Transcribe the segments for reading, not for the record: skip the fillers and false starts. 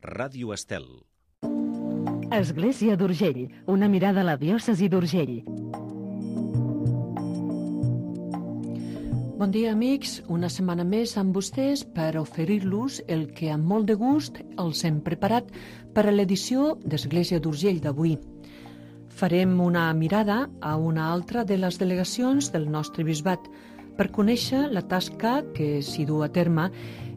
Ràdio Estel. Església d'Urgell, una mirada a la diòcesi d'Urgell. Bon dia, amics. Una setmana més amb vostès per oferir-los el que amb molt de gust els hem preparat per a l'edició d'Església d'Urgell d'avui. Farem una mirada a una altra de les delegacions del nostre bisbat per conèixer la tasca que s'hi du a terme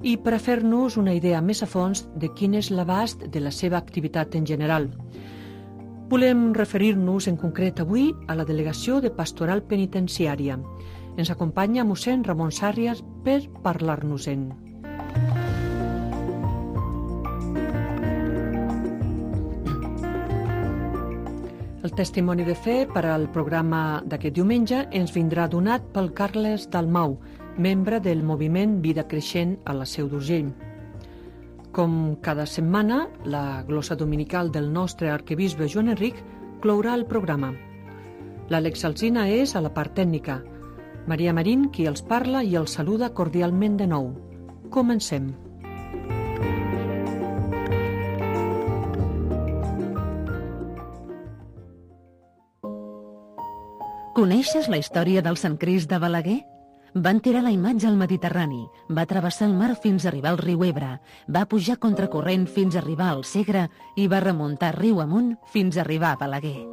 i per a fer-nos una idea més a fons de quin és l'abast de la seva activitat en general. Volem referir-nos en concret avui a la delegació de Pastoral Penitenciària. Ens acompanya mossèn Ramon Sàrrias per parlar-nos-en. El testimoni de fe per al programa d'aquest diumenge ens vindrà donat pel Carles Dalmau, membre del moviment Vida Creixent a la Seu d'Urgell. Com cada setmana, la glossa dominical del nostre arquebisbe Joan Enric clourà el programa. L'Àlex Alsina és a la part tècnica. Maria Marín, qui els parla i els saluda cordialment de nou. Comencem. Coneixes la història del Sant Crist de Balaguer? Van tirar la imatge al Mediterrani, va travessar el mar fins a arribar al riu Ebre, va pujar contracorrent fins a arribar al Segre i va remuntar riu amunt fins a arribar a Balaguer.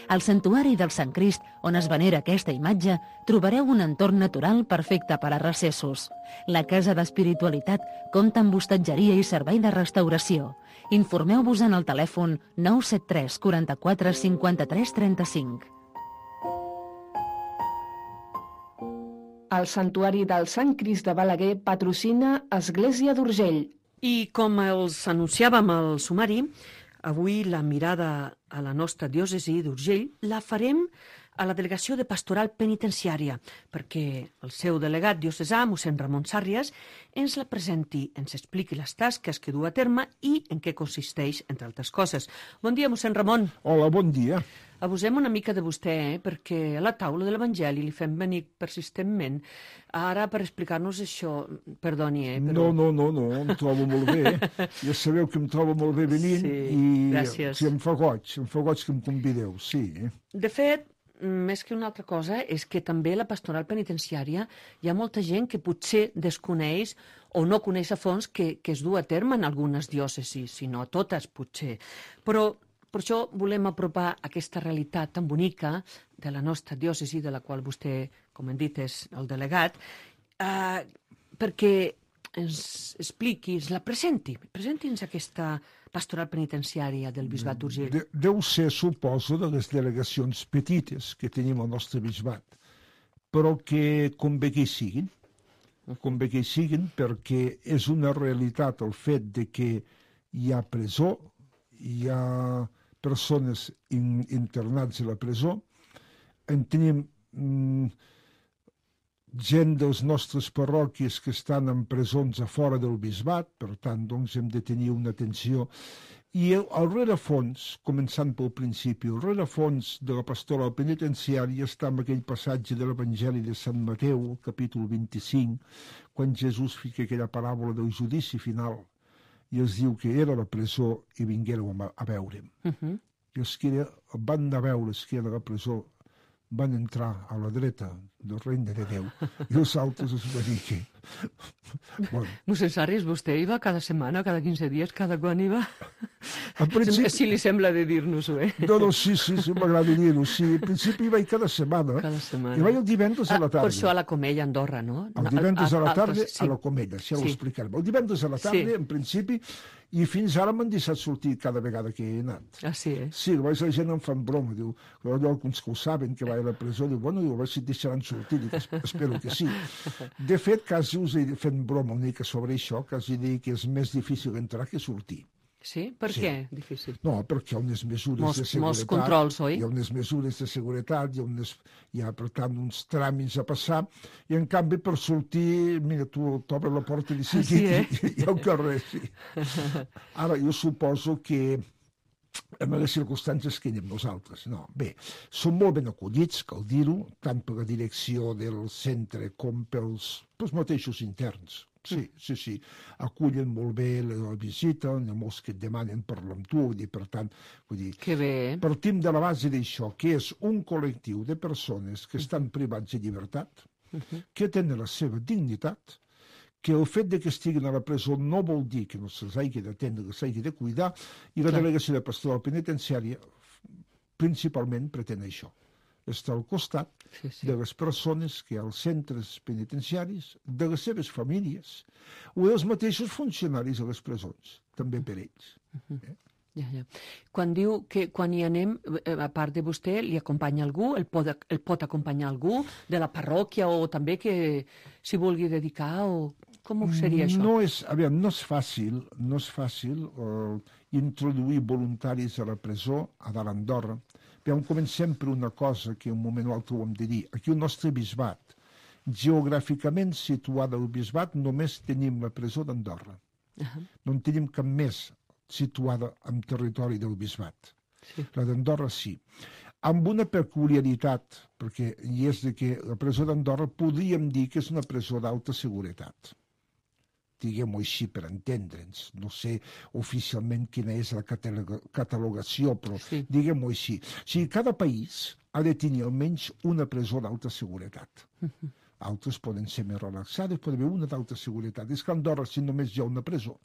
Al santuari del Sant Crist, on es venera aquesta imatge, trobareu un entorn natural perfecte per a recessos. La Casa d'Espiritualitat compta amb hostatgeria i servei de restauració. Informeu-vos en el telèfon 973 44 53 35. El Santuari del Sant Crist de Balaguer patrocina Església d'Urgell. I com els anunciàvem al sumari, avui la mirada a la nostra diòcesi d'Urgell la farem a la delegació de Pastoral Penitenciària, perquè el seu delegat diocesà, mossèn Ramon Sàrrias, ens la presenti, ens expliqui les tasques que du a terme i en què consisteix, entre altres coses. Bon dia, mossèn Ramon. Hola, bon dia. Abusem una mica de vostè, perquè a la taula de l'Evangeli li fem venir persistentment ara per explicar-nos això. Perdoni, però... No, em trobo molt bé. Ja sabeu que em trobo molt bé venint gràcies. Sí, em fa goig que em convideu, sí. De fet, més que una altra cosa, és que també a la pastoral penitenciària hi ha molta gent que potser desconeix o no coneix a fons que es du a terme en algunes diòcesis, si no a totes, potser. Però per això volem apropar aquesta realitat tan bonica de la nostra diòcesi, de la qual vostè, com hem dit, és el delegat, perquè ens expliqui, ens la presenti. Presenti'ns aquesta pastoral penitenciària del bisbat d'Urgell. Deu ser, suposo, de les delegacions petites que tenim al nostre bisbat, però que convé que hi siguin, perquè és una realitat el fet de que hi ha presó, hi ha persones internats a la presó, en tenim gent dels nostres parròquies que estan en presons a fora del bisbat, per tant, doncs, hem de tenir una atenció. I al rerefons, començant pel principi, el rerefons de la pastoral penitenciària està en aquell passatge de l'Evangeli de Sant Mateu, capítol 25, quan Jesús fica aquella paràbola del judici final, i es diu que era a la presó i vinguéreu a veure'm. I els que van anar a veure, els que eren a la presó, van entrar a la dreta del regne de Déu, i els altres es va dir que... Bueno. Mossèn Sàrrias, vostè hi va cada setmana, cada 15 dies, cada quan hi va? Si li sembla de dir-nos-ho, No, sí, m'agrada dir-ho, sí. En principi hi vaig cada setmana. I vaig el divendres a la tarda. Per això a la Comella, a Andorra, no? El divendres a la tarda a la Comella, si ja ho explicarem. El divendres a la tarda, en principi, i fins ara m'han deixat sortir cada vegada que he anat. Ah, sí, Sí, la gent em fan broma, diu, alguns que ho saben, que vaig a la presó, diu, bueno, a veure si et deixaran sortir, dic, espero que sí. De fet, quasi us he fet broma una mica sobre això, quasi dir que és més difícil entrar que sortir. Sí? Per què difícil? No, perquè hi ha unes mesures de seguretat. Molts controls, oi? Hi ha unes mesures de seguretat, hi ha, per tant, uns tràmits a passar, i en canvi per sortir, mira, tu t'obres la porta de seguit i al carrer, sí. Ara, jo suposo que en les circumstàncies que anem nosaltres. No, bé, són molt ben acollits, cal dir-ho, tant per la direcció del centre com pels mateixos interns. Sí. Acullen molt bé la visita, hi ha molts que et demanen parlar amb tu, per tant, Que bé, partim de la base d'això, que és un col·lectiu de persones que estan privats de llibertat, que tenen la seva dignitat, que el fet de que estiguin a la presó no vol dir que no se'ls hagi d'atendre, que s'hagi de cuidar, i la delegació de pastoral penitenciària principalment pretén això. Està al costat de les persones que hi ha als centres penitenciaris, de les seves famílies, o dels mateixos funcionaris a les presons, també per ells. Ja. Quan diu que quan hi anem, a part de vostè, li acompanya algú, el pot acompanyar algú de la parròquia o també que s'hi vulgui dedicar o com seria això? No és fàcil introduir voluntaris a la presó a dalt Andorra. Comencem per una cosa que un moment o altre ho hem de dir. Aquí el nostre bisbat, geogràficament situada al bisbat, només tenim la presó d'Andorra. No en tenim cap més situada en territori del bisbat. La d'Andorra sí. Amb una peculiaritat, perquè hi és de que la presó d'Andorra podríem dir que és una presó d'alta seguretat. Diguem-ho així per entendre'ns. No sé oficialment quina és la catalogació, però diguem-ho així. O sigui, cada país ha de tenir almenys una presó d'alta seguretat. Altres poden ser més relaxades, pot haver una d'alta seguretat. És que a Andorra, si només hi ha una presó,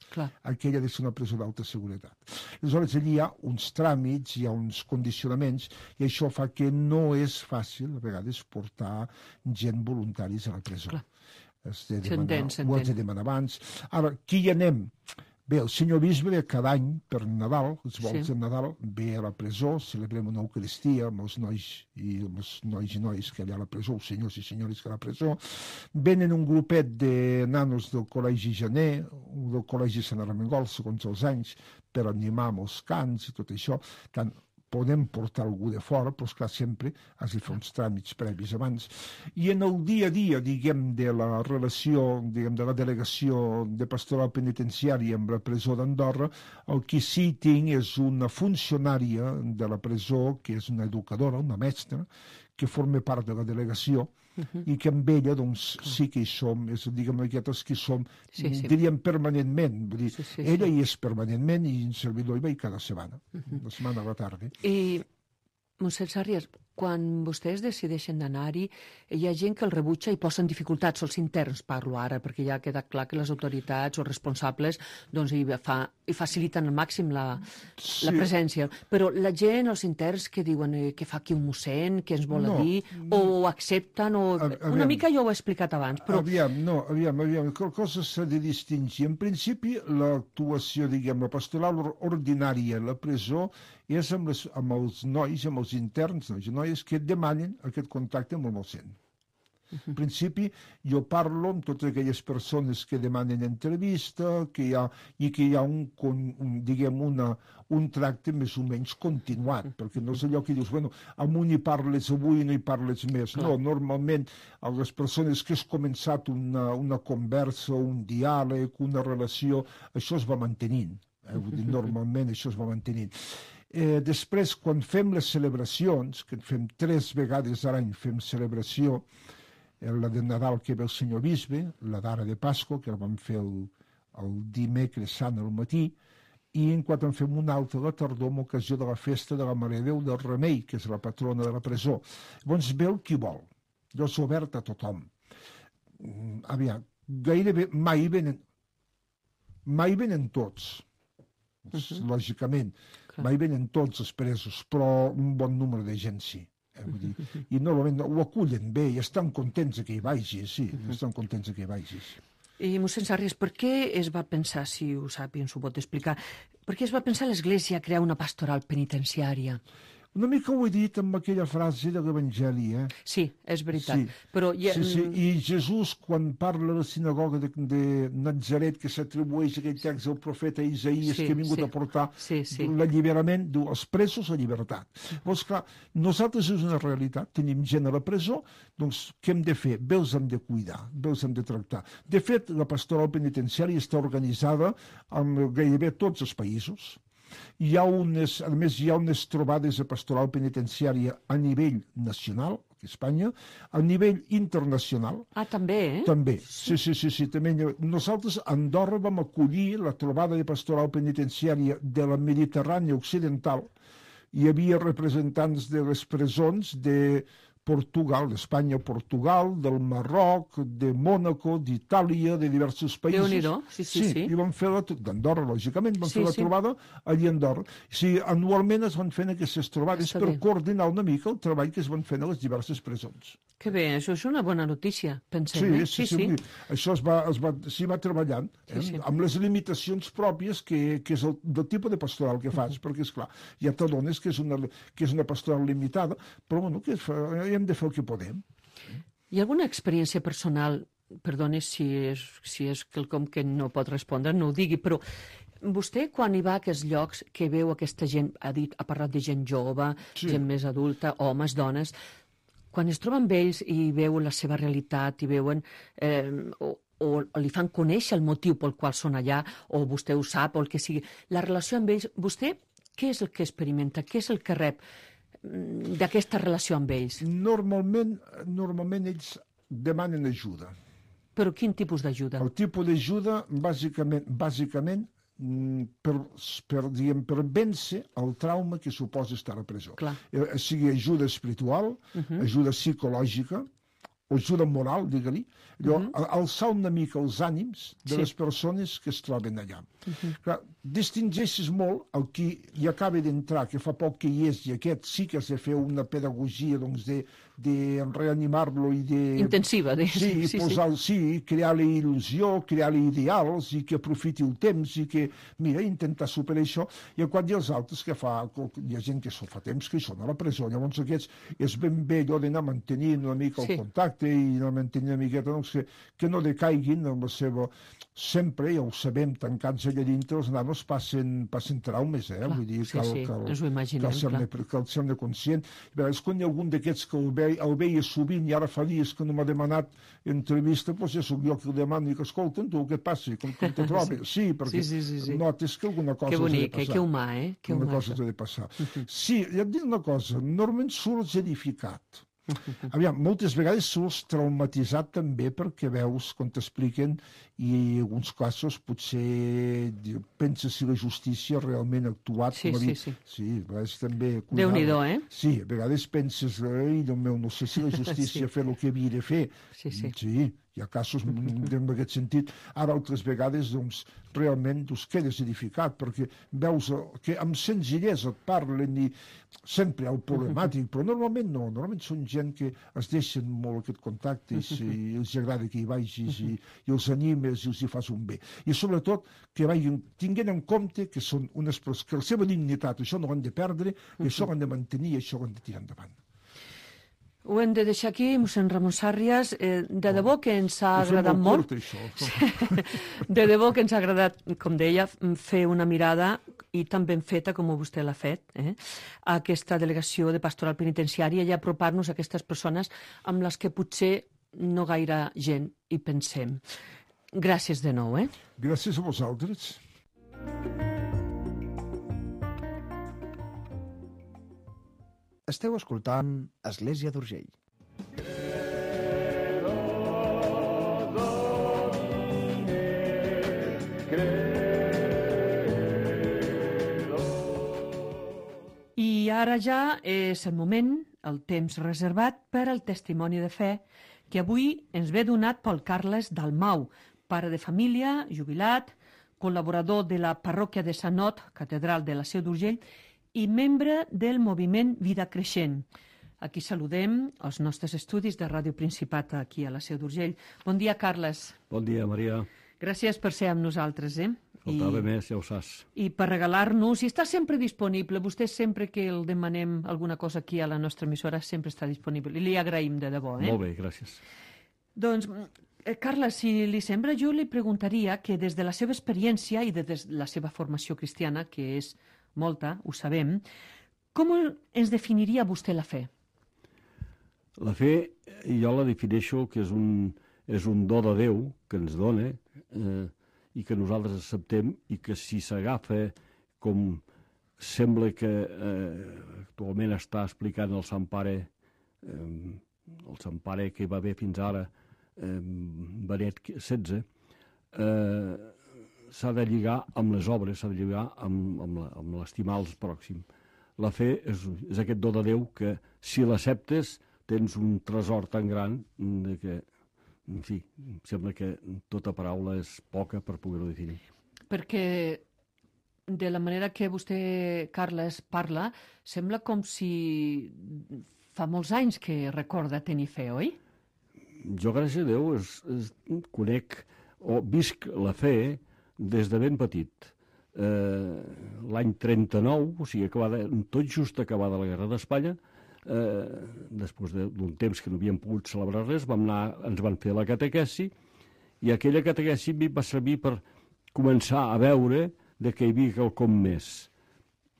aquella ha de ser una presó d'alta seguretat. Aleshores, allí hi ha uns tràmits, hi ha uns condicionaments, i això fa que no és fàcil, a vegades, portar gent voluntaris a la presó. Ho has de demanar abans. Ara, qui hi anem? Bé, el senyor bisbe ve cada any per Nadal, els volts de Nadal, ve a la presó, celebrem una eucaristia amb els nois i noies que hi ha a la presó, els senyors i senyores que hi ha a la presó. Venen un grupet de nanos del Col·legi Janer, del Col·legi Sant Armengol, segons els anys, per animar amb els cants i tot això. Tant podem portar algú de fora, però esclar, sempre has de fer uns tràmits previs abans. I en el dia a dia, diguem, de la relació, diguem, de la delegació de pastoral penitenciària amb la presó d'Andorra, el que sí tinc és una funcionària de la presó, que és una educadora, una mestra, que forma part de la delegació, i que amb ella, doncs, sí que hi som, diguem, aquestes que hi som, diríem permanentment, vull dir, ella hi és permanentment i en servidor hi va cada setmana, la setmana a la tarda. I, mossèn Sarrias, quan vostès decideixen d'anar-hi, hi ha gent que el rebutja i posen dificultats, els interns parlo ara, perquè ja ha quedat clar que les autoritats o responsables doncs, hi faciliten al màxim la presència. Però la gent, els interns, que diuen que fa aquí un mossèn, què ens vol dir, o ho accepten, o... Una mica jo ho he explicat abans, però... Aviam, cosa s'ha de distingir. En principi, l'actuació, diguem, la pastoral ordinària a la presó és amb els nois, amb els interns, nois i noies que demanen aquest contacte amb el mossèn. En principi, jo parlo amb totes aquelles persones que demanen entrevista i que hi ha un tracte més o menys continuat, perquè no és allò que dius, bueno, amb un hi parles avui i no hi parles més. No, normalment, a les persones que has començat una conversa, un diàleg, una relació, això es va mantenint. Normalment això es va mantenint. Després, quan fem les celebracions, que fem 3 vegades a l'any, fem celebració, la de Nadal que ve el senyor bisbe, la d'ara de Pasqua, que la vam fer el dimecres sant al matí, i en quan en fem una altra a la tardor amb ocasió de la festa de la Mare de Déu del Remei, que és la patrona de la presó. Llavors ve el qui vol, jo és obert a tothom. Aviam, gairebé mai venen tots, lògicament, mai venen tots els presos, però un bon número de gent sí. I normalment ho acullen bé i estan contents que hi vagis, estan contents que hi vagis. I, mossèn Sarrias, per què es va pensar, si ho sap i ens ho pot explicar, per què es va pensar l'Església crear una pastoral penitenciària? Una mica ho he dit amb aquella frase de l'Evangeli, Sí, és veritat. Però I Jesús, quan parla a la sinagoga de Nazaret, que s'atribueix aquell text del profeta Isaïes, que ha vingut a portar l'alliberament, diu, els presos a llibertat. Llavors, clar, nosaltres és una realitat, tenim gent a la presó, doncs què hem de fer? Bé els hem de cuidar, bé els hem de tractar. De fet, la pastoral penitenciària està organitzada en gairebé tots els països. A més, hi ha unes trobades de pastoral penitenciària a nivell nacional, que Espanya, a nivell internacional. Ah, també, eh? També, sí. També. Nosaltres a Andorra vam acollir la trobada de pastoral penitenciària de la Mediterrània Occidental. Hi havia representants de les presons de Portugal, d'Espanya, Portugal, del Marroc, de Mònaco, d'Itàlia, de diversos països. Déu-n'hi-do, sí. I van fer d'Andorra, lògicament, van fer la trobada allí a Andorra. Sí, anualment es van fent aquestes trobades per coordinar una mica el treball que es van fent a les diverses presons. Que bé, això és una bona notícia, pensem. Sí. Això es va treballant, amb les limitacions pròpies que és del tipus de pastoral que fas, perquè, esclar, ja t'adones que és una pastoral limitada, però bueno, que hem de fer el que podem. Hi ha alguna experiència personal, perdoni si és quelcom que no pot respondre, no ho digui, però vostè, quan hi va a aquests llocs, que veu aquesta gent, ha parlat de gent jove, gent més adulta, homes, dones, quan es troba amb ells i veuen la seva realitat, i veuen o li fan conèixer el motiu pel qual són allà, o vostè ho sap, o el que sigui, la relació amb ells, vostè què és el que experimenta, què és el que rep d'aquesta relació amb ells? Normalment ells demanen ajuda. Però quin tipus d'ajuda? El tipus d'ajuda, bàsicament, per vèncer el trauma que suposa estar a presó. Sigui ajuda espiritual, ajuda psicològica, o ajuda moral, digue-li, alçar una mica els ànims de les persones que es troben allà. Distingeixes molt el qui hi acaba d'entrar, que fa poc que hi és, i aquest sí que has de fer una pedagogia de reanimar-lo i de... Intensiva. Crear-li il·lusió, crear-li ideals, i que aprofiti el temps, i que, mira, intentar superar això. I quan hi ha els altres hi ha gent que fa temps que són a la presó, llavors aquests és ben bé allò d'anar mantenint una mica el contacte i anar mantenint una miqueta, que no decaiguin en la seva... Sempre, ja ho sabem, tancats allà dintre, els nanos passen traumes, vull dir, cal ser-ne conscient. És quan hi ha algun d'aquests que el veia sovint i ara fa dies que no m'ha demanat entrevista, doncs ja soc jo que el demano i que, escolta, tu, què et passa? Com te trobes? Sí, perquè notes que alguna cosa ha de passar. Que humà, alguna cosa ha de passar. Sí, ja et dic una cosa, normalment surts edificat. Aviam, moltes vegades surts traumatitzat també perquè veus quan t'expliquen i en alguns casos potser penses si la justícia realment ha actuat. Sí, a vegades també... Déu-n'hi-do, Sí, a vegades penses, ai, Déu meu, no sé si la justícia ha fet el que havia de fer. Sí, hi ha casos en aquest sentit. Ara, altres vegades, doncs, realment quedes edificat, perquè veus que amb senzillesa et parlen i sempre hi ha el problemàtic, però normalment no. Normalment són gent que es deixen molt aquest contacte i els agrada que hi vagis i els animes i els hi fas un bé. I sobretot que vagin tinguent en compte que són unes persones, que la seva dignitat, això no ho han de perdre, i això ho han de mantenir i això ho han de tirar endavant. Ho hem de deixar aquí, mossèn Ramon Sàrrias. De debò que ens ha agradat molt. De debò que ens ha agradat, com deia, fer una mirada i tan ben feta com vostè l'ha fet, a aquesta delegació de pastoral penitenciària i apropar-nos a aquestes persones amb les que potser no gaire gent hi pensem. Gràcies de nou. Gràcies a vosaltres. Esteu escoltant Església d'Urgell. I ara ja és el moment, el temps reservat per al testimoni de fe que avui ens ve donat pel Carles Dalmau, pare de família, jubilat, col·laborador de la parròquia de Sant Ot, catedral de la Seu d'Urgell, i membre del moviment Vida Creixent. Aquí saludem els nostres estudis de Ràdio Principat aquí a la Seu d'Urgell. Bon dia, Carles. Bon dia, Maria. Gràcies per ser amb nosaltres. Faltava més, ja ho saps. I per regalar-nos, i està sempre disponible. Vostè sempre que el demanem alguna cosa aquí a la nostra emissora sempre està disponible. I li agraïm de debò. Molt bé, gràcies. Doncs, Carles, si li sembla, jo li preguntaria que des de la seva experiència i des de la seva formació cristiana, que és molta, ho sabem, com ens definiria vostè la fe? La fe, jo la defineixo que és un do de Déu que ens dona i que nosaltres acceptem i que si s'agafa com sembla que actualment està explicant el Sant Pare el Sant Pare que hi va haver fins ara, Benet XVI, s'ha de lligar amb les obres, s'ha de lligar amb l'estimar els pròxims. La fe és aquest do de Déu que, si l'acceptes, tens un tresor tan gran que, en fi, sembla que tota paraula és poca per poder-ho definir. Perquè de la manera que vostè, Carles, parla, sembla com si fa molts anys que recorda tenir fe, oi? Jo, gràcies a Déu, conec o visc la fe des de ben petit. L'any 39, o sigui, tot just acabada la Guerra d'Espanya, després d'un temps que no havíem pogut celebrar res, ens van fer la catequesi, i aquella catequesi va servir per començar a veure que hi havia quelcom més.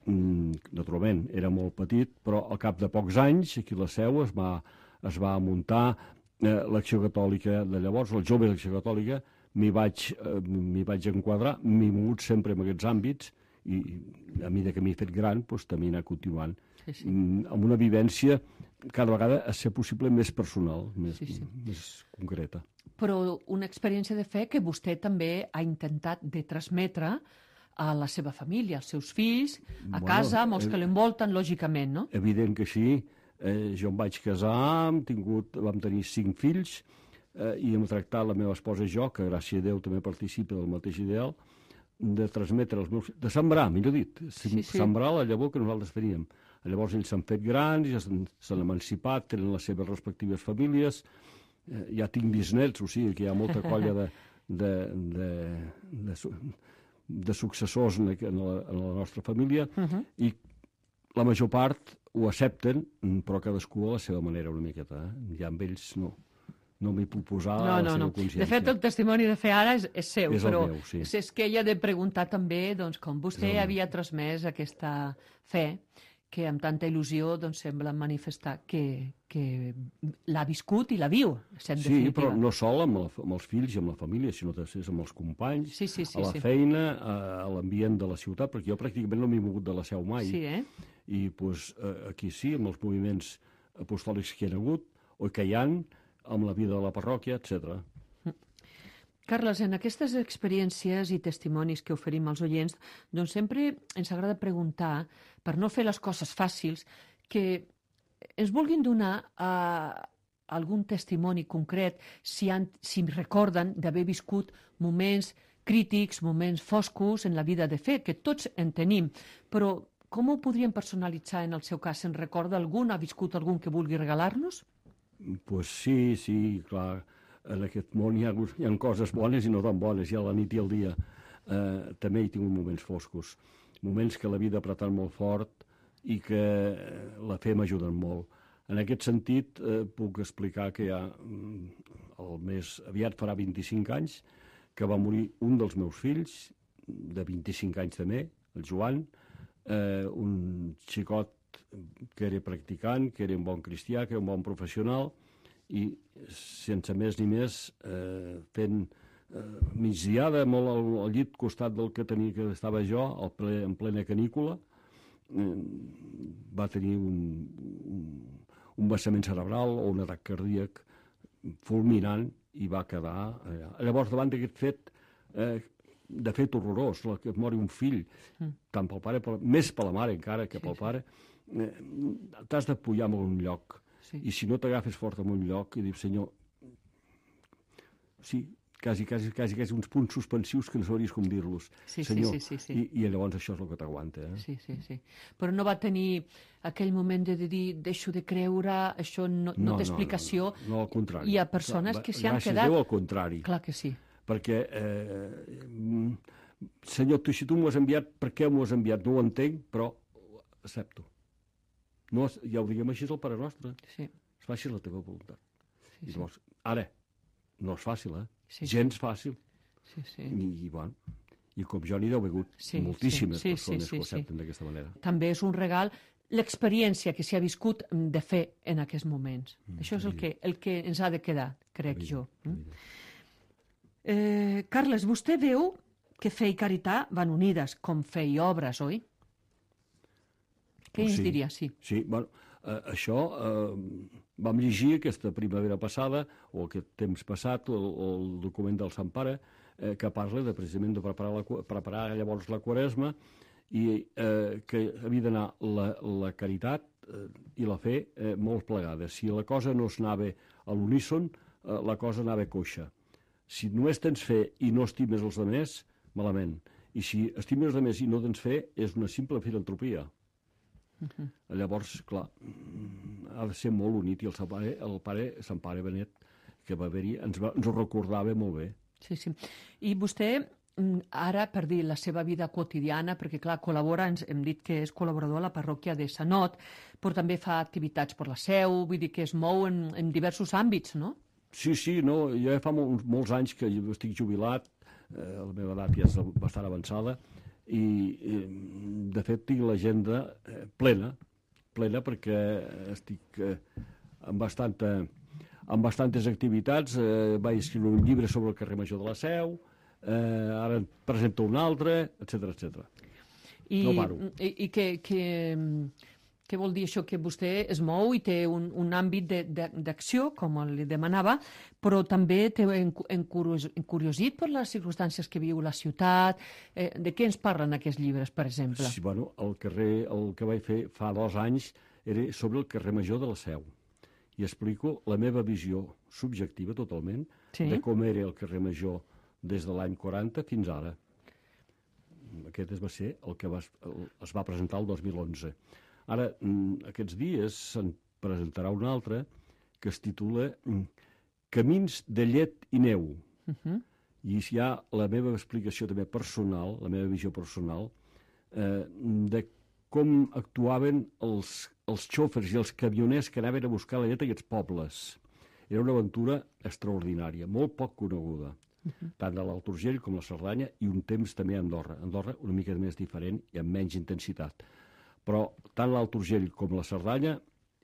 Naturalment, era molt petit, però al cap de pocs anys, aquí a la Seu, es va muntar l'Acció Catòlica de llavors, el jove de l'Acció Catòlica. M'hi vaig enquadrar, m'he mogut sempre en aquests àmbits, i a mesura que m'he fet gran, també he anat continuant. Amb una vivència cada vegada a ser possible més personal, més concreta. Però una experiència de fe que vostè també ha intentat de transmetre a la seva família, als seus fills, a casa, amb els que l'envolten, lògicament, no? Evident que sí. Jo em vaig casar, vam tenir 5 fills, i hem tractat la meva esposa i jo, que gràcies a Déu també participa del mateix ideal, de transmetre els meus fills, de sembrar, millor dit, sembrar la llavor que nosaltres teníem. Llavors ells s'han fet grans, ja s'han emancipat, tenen les seves respectives famílies, ja tinc bisnets, o sigui que hi ha molta colla de successors en la nostra família, i la major part ho accepten, però cadascú a la seva manera una miqueta. Ja amb ells no m'hi puc posar a la seva consciència. De fet, el testimoni de fe ara és seu, però meu, sí. És que ella ha de preguntar també com vostè havia transmès aquesta fe, que amb tanta il·lusió sembla manifestar que l'ha viscut i la viu, sent definitiva. Sí, però no sol amb els fills i amb la família, sinó també amb els companys, a la feina, a l'ambient de la ciutat, perquè jo pràcticament no m'he mogut de la Seu mai. I aquí sí, amb els moviments apostòlics que hi ha hagut, o que hi ha, amb la vida de la parròquia, etc. Carles, en aquestes experiències i testimonis que oferim als oients, sempre ens agrada preguntar, per no fer les coses fàcils, que ens vulguin donar algun testimoni concret, si recorden d'haver viscut moments crítics, moments foscos en la vida de fe, que tots en tenim, però com ho podríem personalitzar en el seu cas? Se'n recorda algun? Ha viscut algun que vulgui regalar-nos? Pues sí, clar. En aquest món hi ha coses bones i no tan bones, ja la nit i el dia. També hi tinc moments foscos, moments que la vida ha apretat molt fort i que la fe m'ajuda molt. En aquest sentit, puc explicar que ja el més aviat farà 25 anys que va morir un dels meus fills, de 25 anys també, el Joan, un xicot que era practicant, que era un bon cristià, que era un bon professional, i sense més ni més, fent migdiada molt al llit costat del que estava jo, en plena canícula, va tenir un vessament cerebral o un atac cardíac fulminant i va quedar allà. Llavors, davant d'aquest fet, de fet horrorós, que et mori un fill, tant pel pare, més per la mare encara que pel pare, t'has d'apoyar en un lloc. I si no t'agafes fort en un lloc i dius, senyor, sí, quasi uns punts suspensius que no sabries com dir-los, senyor, i llavors això és el que t'aguanta. Sí. Però no va tenir aquell moment de dir, deixo de creure, això no té explicació. No, al contrari. Hi ha persones que s'hi han quedat... Gràcies a Déu, al contrari. Clar que sí. Perquè, senyor, si tu m'ho has enviat, per què m'ho has enviat? No ho entenc, però accepto. No, ja ho diguem així, és el Pare Nostre. Es faci la teva voluntat. Llavors, ara, no és fàcil, gens fàcil. I com jo n'hi deu hagut moltíssimes persones que ho accepten d'aquesta manera. També és un regal l'experiència que s'hi ha viscut de fer en aquests moments. Això és el que ens ha de quedar, crec jo. Carles, vostè veu que fe i caritat van unides, com fe i obres, oi? Què ens diria? Sí, bueno, això vam llegir aquesta primavera passada, o aquest temps passat, el document del Sant Pare, que parla precisament de preparar llavors la Quaresma, i que havia d'anar la caritat i la fe molt plegades. Si la cosa no es anava a l'uníson, la cosa anava coixa. Si només tens fe i no estimes els altres, malament. I si estimes els altres i no tens fe, és una simple filantropia. Llavors, clar, ha de ser molt unit, i el pare Sant Pare Benet, que va haver-hi, ens ho recordava molt bé. Sí, sí. I vostè, ara, per dir la seva vida quotidiana, perquè, clar, col·labora, hem dit que és col·laborador a la parròquia de Sanot, però també fa activitats per la Seu, vull dir que es mou en diversos àmbits, no? Sí, no, jo ja fa molts anys que estic jubilat, la meva edat ja és bastant avançada, i de fet tinc l'agenda plena perquè estic amb bastantes activitats. Vaig escriure un llibre sobre el carrer Major de la Seu, ara en presento un altre, etc. No paro. I què vol dir això? Que vostè es mou i té un àmbit d'acció, com li demanava, però també té encuriosit per les circumstàncies que viu la ciutat. De què ens parlen aquests llibres, per exemple? Sí, bueno, el que vaig fer fa 2 anys era sobre el carrer Major de la Seu. I explico la meva visió subjectiva totalment de com era el carrer Major des de l'any 40 fins ara. Aquest va ser el que es va presentar el 2011. Ara, aquests dies se'n presentarà un altre que es titula Camins de llet i neu. I hi ha la meva explicació també personal, la meva visió personal, de com actuaven els xòfers i els camioners que anaven a buscar la llet a aquests pobles. Era una aventura extraordinària, molt poc coneguda, tant a l'Alt Urgell com a la Cerdanya, i un temps també a Andorra. Andorra una mica més diferent i amb menys intensitat. Però tant l'Alt Urgell com la Cerdanya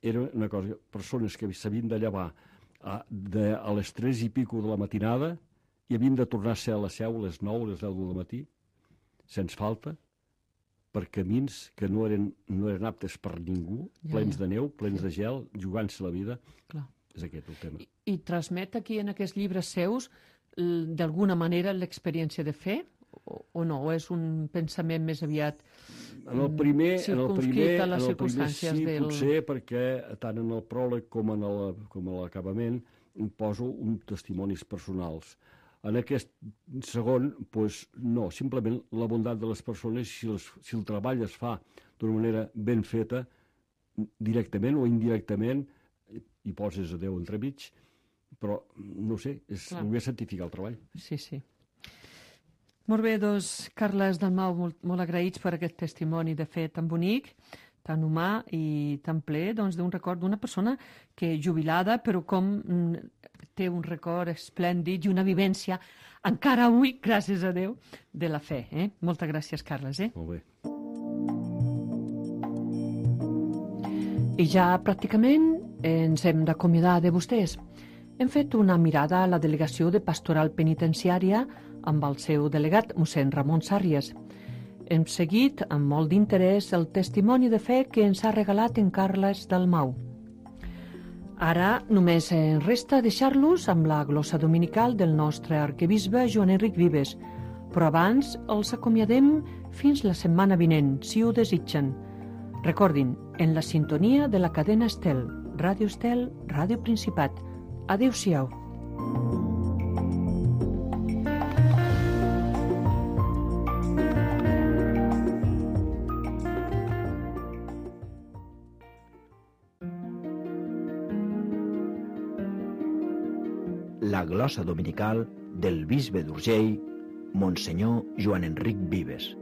era una cosa, persones que s'havien de llevar a les 3 i pico de la matinada i havien de tornar a ser a la Seu a les 9 o les 10 del matí, sense falta, per camins que no eren aptes per ningú, plens de neu, plens de gel, jugant-se la vida. Clar. És aquest el tema. I transmet aquí en aquests llibres seus d'alguna manera l'experiència de fe? O no? O és un pensament més aviat circumscrit a les circumstàncies sí, potser, perquè tant en el pròleg com en l'acabament poso uns testimonis personals. En aquest segon, no, simplement la bondat de les persones, si el treball es fa d'una manera ben feta, directament o indirectament, hi poses a Déu entremig, però, no sé, és voler certificar el treball. Sí. Molt bé, doncs, Carles Dalmau, molt agraïts per aquest testimoni de fe tan bonic, tan humà i tan ple d'un record d'una persona que jubilada, però com té un record esplèndid i una vivència encara avui, gràcies a Déu, de la fe. Moltes gràcies, Carles. Molt bé. I ja pràcticament ens hem d'acomiadar de vostès. Hem fet una mirada a la delegació de Pastoral Penitenciària amb el seu delegat, mossèn Ramon Sàrries. Hem seguit amb molt d'interès el testimoni de fe que ens ha regalat en Carles Dalmau. Ara només ens resta deixar-los amb la glossa dominical del nostre arquebisbe Joan Enric Vives, però abans els acomiadem fins la setmana vinent, si ho desitgen. Recordin, en la sintonia de la cadena Estel, Ràdio Estel, Ràdio Principat. Adéu-siau. La glossa dominical del bisbe d'Urgell, Monsenyor Joan Enric Vives.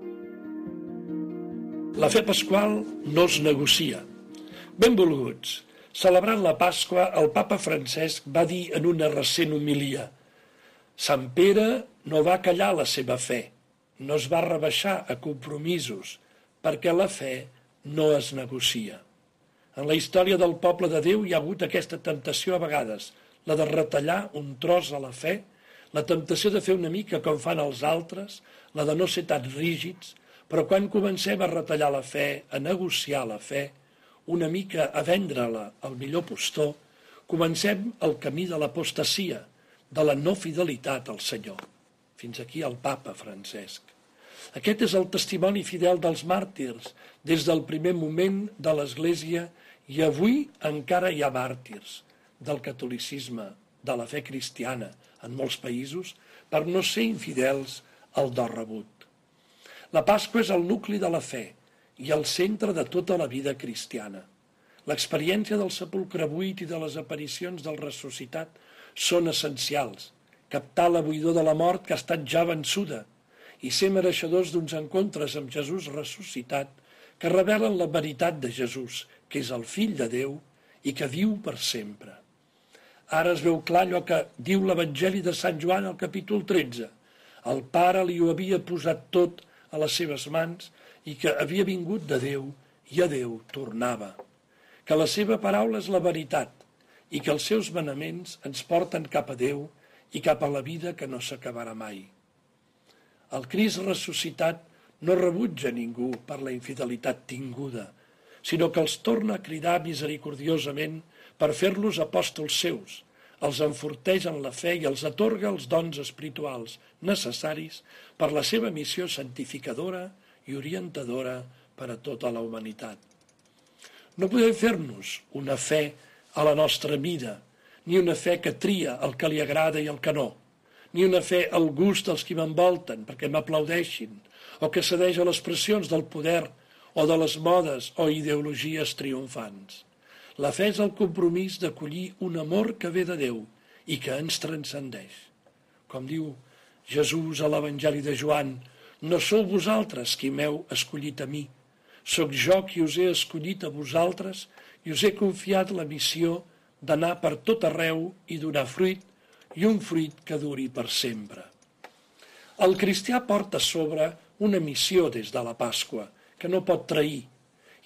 La fe pasqual no es negocia. Benvolguts, celebrant la Pasqua, el papa Francesc va dir en una recent homilia: Sant Pere no va callar la seva fe, no es va rebaixar a compromisos, perquè la fe no es negocia. En la història del poble de Déu hi ha hagut aquesta temptació a vegades, la de retallar un tros a la fe, la temptació de fer una mica com fan els altres, la de no ser tan rígids, però quan comencem a retallar la fe, a negociar la fe, una mica a vendre-la al millor postor, comencem el camí de l'apostasia, de la no fidelitat al Senyor. Fins aquí el papa Francesc. Aquest és el testimoni fidel dels màrtirs des del primer moment de l'Església i avui encara hi ha màrtirs del catolicisme, de la fe cristiana en molts països per no ser infidels al do rebut. La Pasqua és el nucli de la fe i el centre de tota la vida cristiana. L'experiència del sepulcre buit i de les aparicions del ressuscitat són essencials. Captar la buidor de la mort que ha estat ja vençuda i ser mereixedors d'uns encontres amb Jesús ressuscitat que revelen la veritat de Jesús, que és el Fill de Déu i que viu per sempre. Ara es veu clar allò que diu l'Evangeli de Sant Joan al capítol 13. El Pare li ho havia posat tot a les seves mans i que havia vingut de Déu i a Déu tornava. Que la seva paraula és la veritat i que els seus manaments ens porten cap a Déu i cap a la vida que no s'acabarà mai. El Crist ressuscitat no rebutja ningú per la infidelitat tinguda, sinó que els torna a cridar misericordiosament per fer-los apòstols seus, els enforteix en la fe i els atorga els dons espirituals necessaris per la seva missió santificadora i orientadora per a tota la humanitat. No podem fer-nos una fe a la nostra mida, ni una fe que tria el que li agrada i el que no, ni una fe al gust dels qui m'envolten perquè m'aplaudeixin, o que cedeix a les pressions del poder o de les modes o ideologies triomfants. La fe és el compromís d'acollir un amor que ve de Déu i que ens transcendeix. Com diu Jesús a l'Evangeli de Joan, no sou vosaltres qui m'heu escollit a mi, sóc jo qui us he escollit a vosaltres i us he confiat la missió d'anar per tot arreu i donar fruit, i un fruit que duri per sempre. El cristià porta a sobre una missió des de la Pasqua, que no pot trair,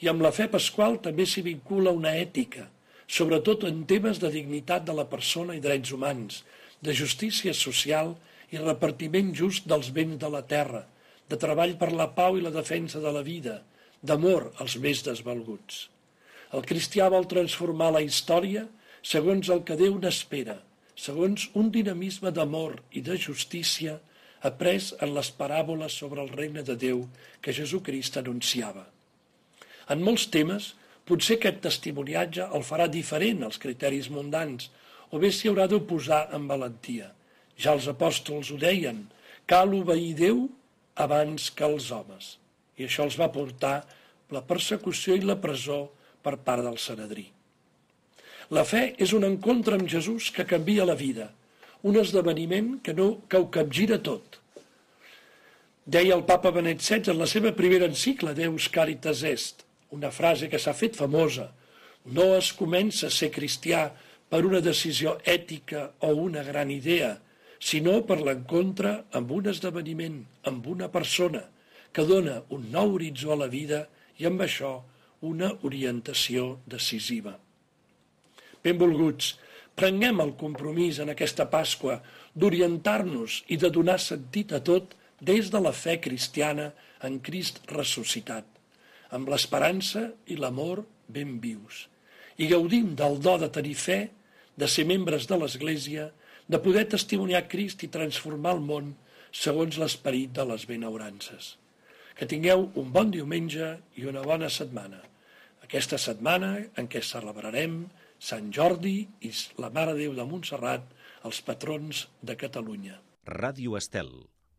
i amb la fe pasqual també s'hi vincula una ètica, sobretot en temes de dignitat de la persona i drets humans, de justícia social i repartiment just dels béns de la terra, de treball per la pau i la defensa de la vida, d'amor als més desvalguts. El cristià vol transformar la història segons el que Déu n'espera, segons un dinamisme d'amor i de justícia après en les paràboles sobre el regne de Déu que Jesucrist anunciava. En molts temes, potser aquest testimoniatge el farà diferent als criteris mundans, o bé s'hi haurà d'oposar amb valentia. Ja els apòstols ho deien, cal obeir Déu abans que els homes. I això els va portar la persecució i la presó per part del Sanedrí. La fe és un encontre amb Jesús que canvia la vida, un esdeveniment que ho capgira tot. Deia el papa Benet XVI en la seva primera encíclica Deus Caritas Est, una frase que s'ha fet famosa: no es comença a ser cristià per una decisió ètica o una gran idea, sinó per l'encontre amb un esdeveniment, amb una persona, que dona un nou horitzó a la vida i amb això una orientació decisiva. Benvolguts, prenguem el compromís en aquesta Pasqua d'orientar-nos i de donar sentit a tot des de la fe cristiana en Crist ressuscitat, amb l'esperança i l'amor ben vius. I gaudim del do de tenir fe, de ser membres de l'Església, de poder testimoniar Crist i transformar el món segons l'esperit de les benaurances. Que tingueu un bon diumenge i una bona setmana. Aquesta setmana en què celebrarem Sant Jordi i la Mare de Déu de Montserrat, els patrons de Catalunya. Ràdio Estel.